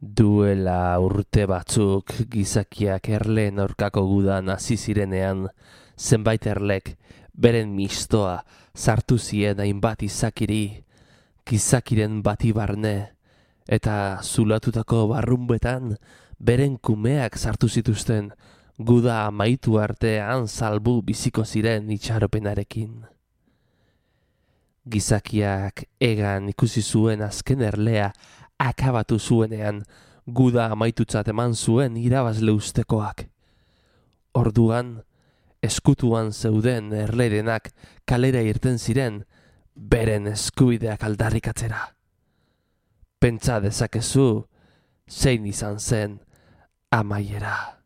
Duela urte batzuk gizakiak erleen aurkako gudan hasi zirenean, zenbait erlek beren mistoa sartu zien hainbat izakiri, gizakiren bati barne, eta zulatutako barrunbetan beren kumeak sartu zituzten guda amaitu artean salbu biziko ziren itxaropenarekin. Gizakiak egan ikusi zuen azken erlea akabatu zuenean, guda amaitutzat eman zuen irabazle ustekoak. Orduan, eskutuan zeuden erlerenak kalera irten ziren, beren eskubideak aldarrikatzera. Pentsa dezakezu, zein izan zen amaiera.